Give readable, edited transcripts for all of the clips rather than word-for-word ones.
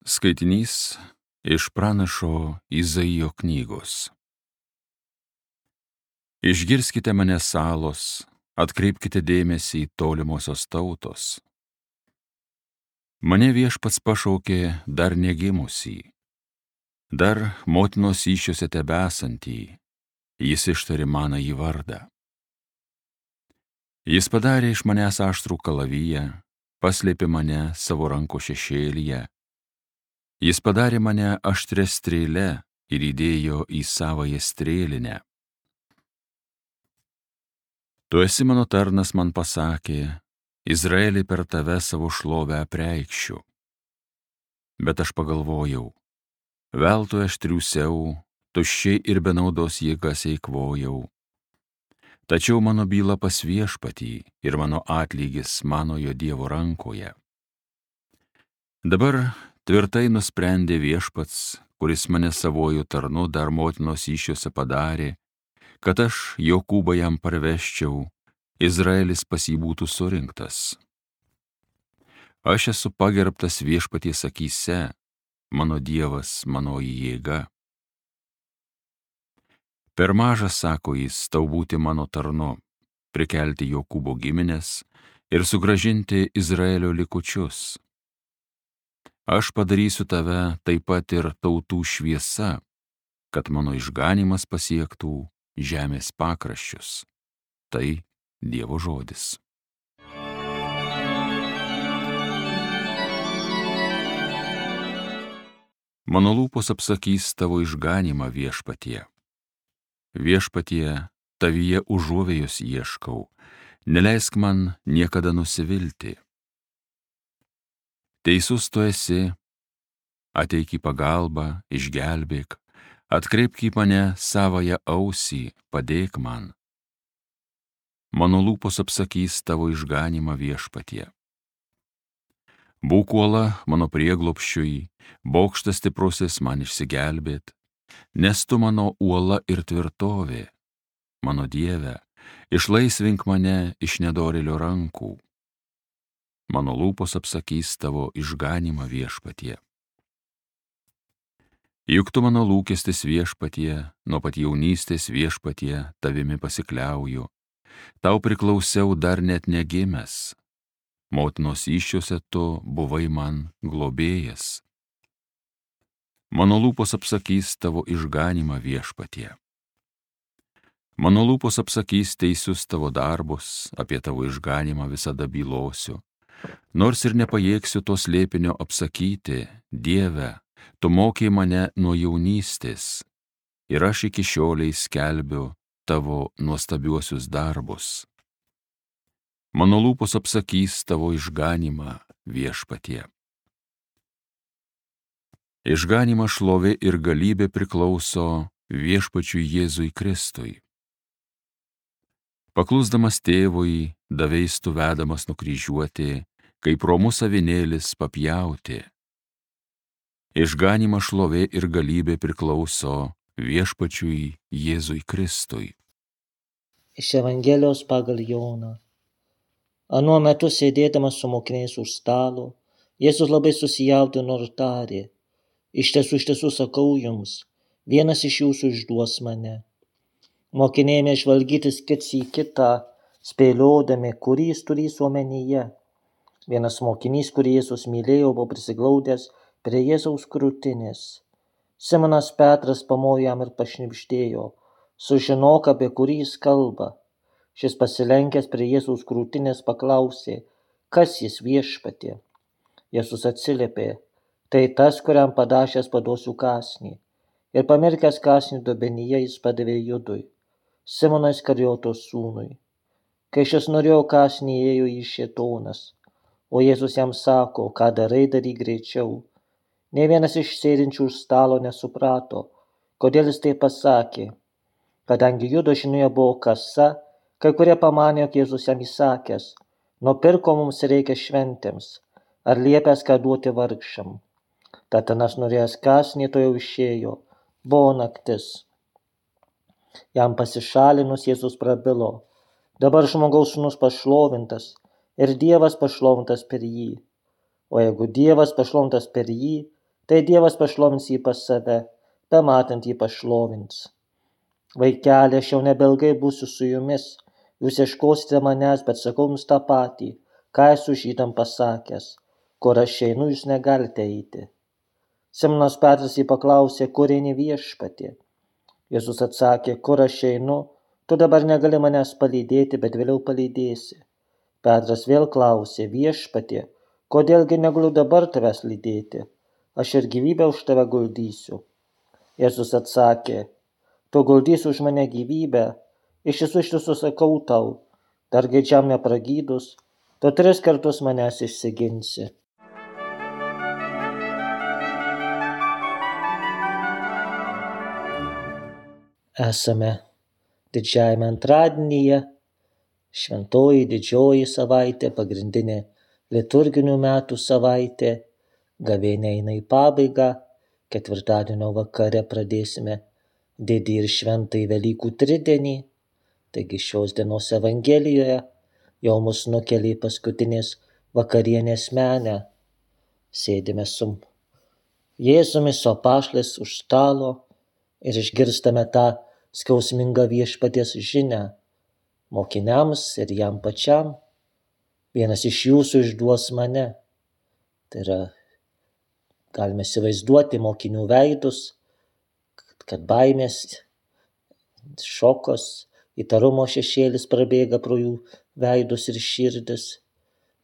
Skaitinys iš pranašo Izaijo knygos. Išgirskite mane salos, atkreipkite dėmesį į tolimosios tautos. Mane Viešpats pašaukė dar negimusį, dar motinos įsčiose tebesantį, jis ištarė manąjį vardą. Jis padarė iš manęs aštrų kalaviją, paslėpė mane savo rankų šešėlyje. Jis padarė mane aštrią strėlę ir įdėjo į savąją strėlinę. Tu esi mano tarnas, man pasakė, Izraelį per tave savo šlovę apreikšiu. Bet aš pagalvojau, veltui aš triūsiau, tuščiai ir be naudos jėgas eikvojau. Tačiau mano byla pas Viešpatį ir mano atlygis manojo Dievo rankoje. Dabar tvirtai nusprendė Viešpats, kuris mane savojų tarnu dar motinos įsčiose padarė, kad aš Jokūbą jam parveščiau, Izraelis pas jį būtų surinktas. Aš esu pagerbtas Viešpaties akyse, mano Dievas, manoji jėga. Per mažas, sako jis, tau būti mano tarnu, prikelti Jokūbo giminės ir sugrąžinti Izraelio likučius. Aš padarysiu tave taip pat ir tautų šviesa, kad mano išganymas pasiektų žemės pakraščius. Tai Dievo žodis. Mano lūpos apsakys tavo išganymą, Viešpatie. Viešpatie, tavyje užuovėjos ieškau, neleisk man niekada nusivilti. Teisus tu esi, ateik į pagalbą, išgelbėk, atkreipk į mane savąją ausį, padėk man. Mano lūpos apsakys tavo išganymą, Viešpatie. Būk uola mano prieglobsčiui, bokštas stiprusis man išsigelbėt, nes tu mano uola ir tvirtovė. Mano Dieve, išlaisvink mane iš nedorėlio rankų. Mano lūpos apsakys tavo išganymą, Viešpatie. Juk tu mano lūkestis, Viešpatie, nuo pat jaunystės, Viešpatie, tavimi pasikliauju. Tau priklausiau dar net negimęs. Motinos įsčiose tu buvai man globėjas. Mano lūpos apsakys tavo išganymą, Viešpatie. Mano lūpos apsakys teisius tavo darbus, apie tavo išganymą visada bylosiu. Nors ir nepajėgsiu to slėpinio apsakyti, Dieve, tu mokei mane nuo jaunystės, ir aš iki šiolei skelbiu tavo nuostabiuosius darbus. Mano lūpos apsakys tavo išganymą, Viešpatie. Išganymą, šlovė ir galybė priklauso Viešpačiui Jėzui Kristui. Paklusdamas tėvui, daveis tu vedamas nukryžiuoti, kaip romus avinėlis papjauti. Išganymą, šlovė ir galybė priklauso Viešpačiui Jėzui Kristui. Iš Evangelijos pagal Joną. Anuo metu sėdėdamas su mokiniais už stalo, Jėzus labai susijaudino ir tarė: iš tiesų sakau jums, vienas iš jūsų išduos mane. Mokiniai ėmė žvalgytis kits į kitą, spėliodami, kurį jis turės omenyje. Vienas mokinys, kurį Jėzus mylėjo, buvo prisiglaudęs prie Jėzaus krūtinės. Simonas Petras pamojo jam ir pašnibždėjo: sužinok, apie kurį jis kalba. Šis pasilenkęs prie Jėzaus krūtinės paklausė: kas jis, Viešpatie? Jėzus atsiliepė: tai tas, kuriam padašęs paduosiu kąsnį. Ir pamirkęs kąsnį dubenyje jis padavė Judui, Simono Iskarijoto sūnui. Kai šis norėjo kąsnį, ėjo į šėtonas, o Jėzus jam sako: ką darai, daryk greičiau. Nė vienas iš sėdinčių už stalo nesuprato, kodėl jis tai pasakė. Kadangi Judo žinioje buvo kasa, kai kurie pamanė, jog Jėzus jam įsakęs: nupirko mums reikia šventėms, ar liepęs ką duoti vargšam. Tad anas norėjęs kąsnį to jau išėjo, buvo naktis. Jam pasišalinus Jėzus prabilo: dabar žmogaus sūnus pašlovintas ir Dievas pašlovintas per jį. O jeigu Dievas pašlovintas per jį, tai Dievas pašlovins jį pas save, bematant jį pašlovins. Vaikeli, aš jau nebelgai būsiu su jumis, jūs ieškosite manęs, bet sakau jums tą patį, ką esu žydam pasakęs, kur aš einu, jūs negalite eiti. Simonas Petras jį paklausė, kur eini viešpatie? Jėzus atsakė, kur aš einu, tu dabar negali manęs palydėti, bet vėliau palydėsi. Petras vėl klausė, viešpatie, kodėlgi negaliu dabar tavęs lydėti, aš ir gyvybę už tave guldysiu. Jėzus atsakė, tu guldysi už mane gyvybę, iš tiesų sakau tau, dar gaidžiam nepragydus, tu 3 kartus manęs išsiginsi. Esame didžiajame antradienyje, šventoji didžioji savaitė, pagrindinė liturginių metų savaitė, gavėnia eina į pabaigą, ketvirtadienio vakare pradėsime didį ir šventąjį Velykų tridienį, taigi šios dienos Evangelijoje jau mus nukelia į paskutinės vakarienės menę, sėdime su Jėzumi, su apaštalais už stalo ir išgirstame tą skausmingą viešpaties žinią mokiniams ir jam pačiam. Vienas iš jūsų išduos mane. Tai yra, galime įsivaizduoti mokinių veidus, kad baimės, šokas, įtarumo šešėlis prabėga pro jų veidus ir širdis.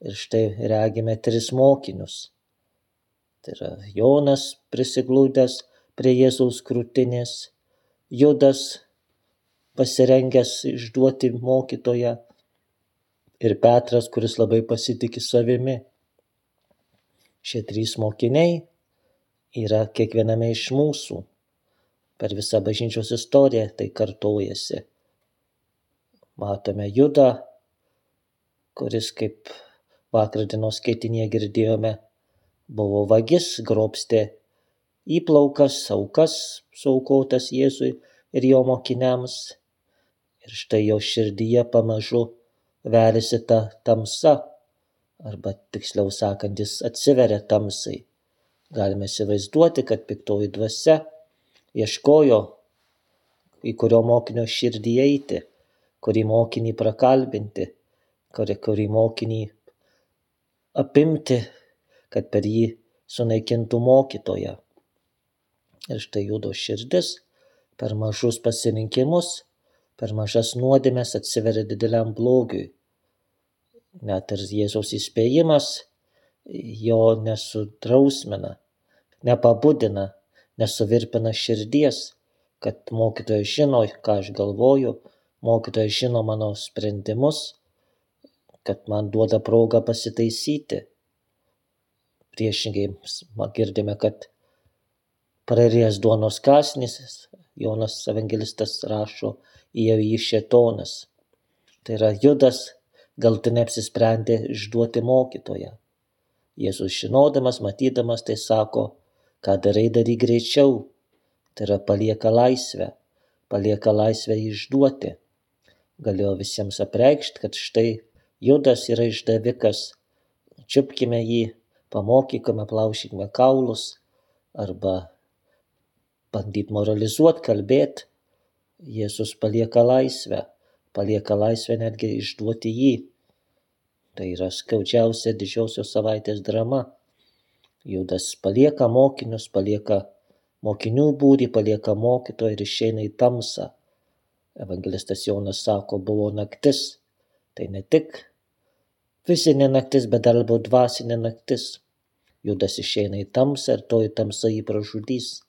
Ir štai regime 3 mokinius. Tai yra Jonas prisiglūdęs prie Jėzaus krūtinės, Judas pasirengęs išduoti mokytoją ir Petras, kuris labai pasitiki savimi. Šie 3 mokiniai yra kiekviename iš mūsų. Per visą bažnyčios istoriją tai kartojasi. Matome Judą, kuris, kaip vakar dienos skaitinėje girdėjome, buvo vagis, grobstė įplaukas, aukas suaukotas Jėzui ir jo mokiniams. Ir štai jo širdyje pamažu veriasi ta tamsa, arba tiksliau sakant, jis atsiveria tamsai. Galime įsivaizduoti, kad piktoji dvasia ieškojo, į kurio mokinio širdį eiti, kurį mokinį prakalbinti, kurį mokinį apimti, kad per jį sunaikintų mokytoją. Ir štai Judo širdis per mažus pasirinkimus, per mažas nuodėmes atsiveria dideliam blogiui. Net ir Jėzaus įspėjimas jo nesudrausmina, nepabudina, nesuvirpina širdies, kad mokytojas žino, ką aš galvoju, mokytojas žino mano sprendimus, kad man duoda progą pasitaisyti. Priešingai girdime, kad prarijęs duonos kąsnis, Jonas evangelistas rašo, įėjo į jį šėtonas. Tai yra Judas galutinai apsisprendė išduoti mokytoją. Jėzus žinodamas, matydamas, tai sako, ką darai, daryk greičiau. Tai yra palieka laisvę išduoti. Galėjo visiems apreikšti, kad štai Judas yra išdavikas, čiupkime jį, pamokykime, plaušykime kaulus, arba bandyti moralizuoti, kalbėti. Jėzus palieka laisvę netgi išduoti jį. Tai yra skaudžiausia didžiosios savaitės drama. Judas palieka mokinius, palieka mokinių būrį, palieka mokytoją ir išeina į tamsą. Evangelistas Jonas sako, buvo naktis. Tai ne tik fizinė naktis, bet dar buvo dvasinė naktis. Judas išeina į tamsą ir toji tamsa jį pražudys.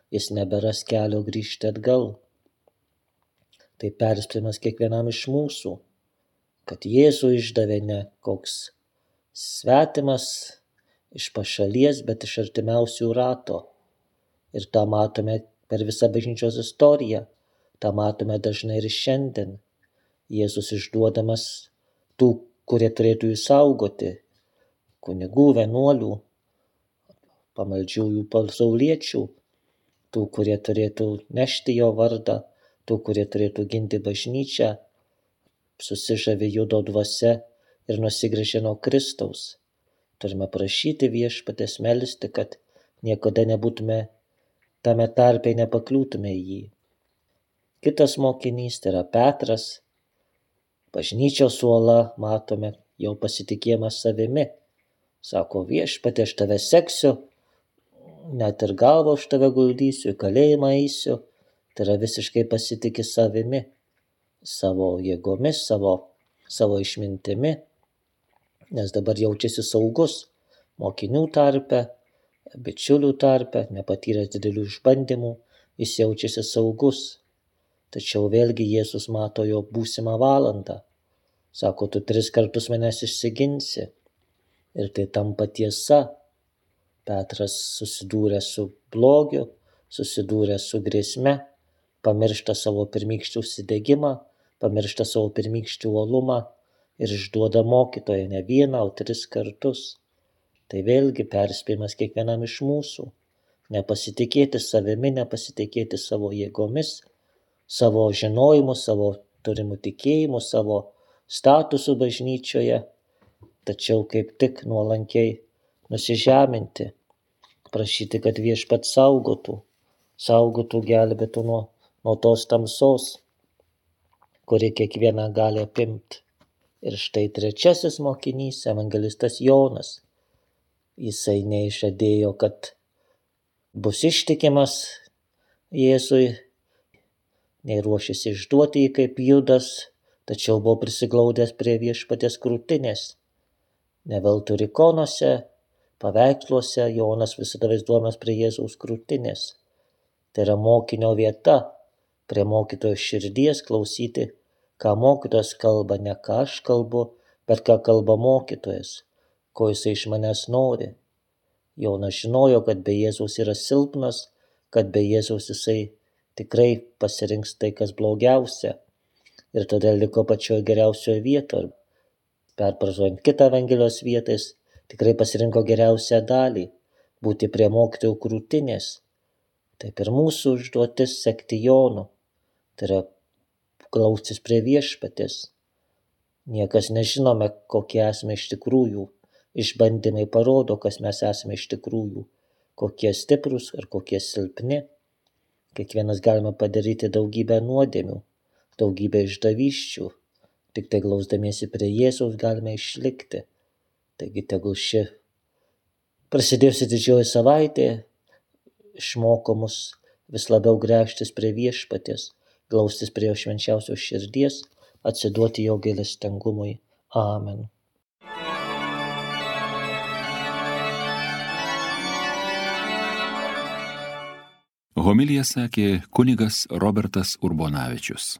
Jis neberas kelio grįžti atgal. Tai perspėjimas kiekvienam iš mūsų, kad Jėzų išdavė ne koks svetimas iš pašalies, bet iš artimiausių rato. Ir tą matome per visą bažnyčios istoriją, tą matome dažnai ir šiandien. Jėzus išduodamas tų, kurie turėtų jį saugoti, kunigų, vienuolių, pamaldžiųjų pasauliečių, tų, kurie turėtų nešti jo vardą, tų, kurie turėtų ginti bažnyčią, susižavi Judo dvasia ir nusigręžė nuo Kristaus. Turime prašyti viešpaties, melsti, kad niekada nebūtume tame tarpe, nepakliūtume į jį. Kitas mokinys, tai yra Petras, bažnyčios uola, matome jo pasitikėjimą savimi. Sako, Viešpatie, aš tave seksiu, net ir galvą už tave guldysiu, į kalėjimą eisiu. Tai yra visiškai pasitikė savimi, savo jėgomis, savo išmintimi, nes dabar jaučiasi saugus mokinių tarpe, bičiulių tarpe, nepatyręs didelių išbandymų, jis jaučiasi saugus. Tačiau vėlgi Jėzus mato jo būsimą valandą. Sako, tu 3 kartus manęs išsiginsi. Ir tai tampa tiesa. Petras susidūrė su blogiu, susidūrė su grėsme, pamiršta savo pirmykštį užsidegimą, pamiršta savo pirmykštį uolumą ir išduoda mokytoją ne 1, o 3 kartus. Tai vėlgi perspėjimas kiekvienam iš mūsų. Nepasitikėti savimi, nepasitikėti savo jėgomis, savo žinojimu, savo turimų tikėjimų, savo statusų bažnyčioje, tačiau kaip tik nuolankiai nusižeminti, prašyti, kad Viešpats saugotų, gelbėtų nuo tos tamsos, kuri kiekvieną gali apimti. Ir štai 3 mokinys, evangelistas Jonas. Jisai neišžadėjo, kad bus ištikimas Jėzui, nei ruošėsi išduoti jį kaip Judas, tačiau buvo prisiglaudęs prie Viešpaties krūtinės. Ne veltui ikonose, paveiksluose Jonas visada vaizduojamas prie Jėzaus krūtinės. Tai yra mokinio vieta, prie mokytojo širdies klausyti, ką mokytojas kalba, ne ką aš kalbu, bet ką kalba mokytojas, ko jisai iš manęs nori. Jonas žinojo, kad be Jėzaus yra silpnas, kad be Jėzaus jisai tikrai pasirinks tai, kas blogiausia. Ir todėl liko pačioje geriausioje vietoje. Perpražuojant kitą Evangelijos vietą, jis tikrai pasirinko geriausią dalį – būti prie mokytojų krūtinės. Taip ir mūsų užduotis sekti Jonu. Tai yra glaustis prie Viešpaties. Niekas nežinome, kokie esame iš tikrųjų. Išbandymai parodo, kas mes esame iš tikrųjų. Kokie stiprus ir kokie silpni. Kiekvienas galime padaryti daugybę nuodėmių, daugybę išdavysčių. Tik tai glausdamiesi prie Jėzaus galime išlikti. Taigi tegul ši prasidėjusi didžioji savaitė išmoko mus vis labiau gręžtis prie Viešpaties, glaustis prie jo švenčiausios širdies, atsiduoti jo gailestingumui. Amen. Homiliją sakė kunigas Robertas Urbonavičius.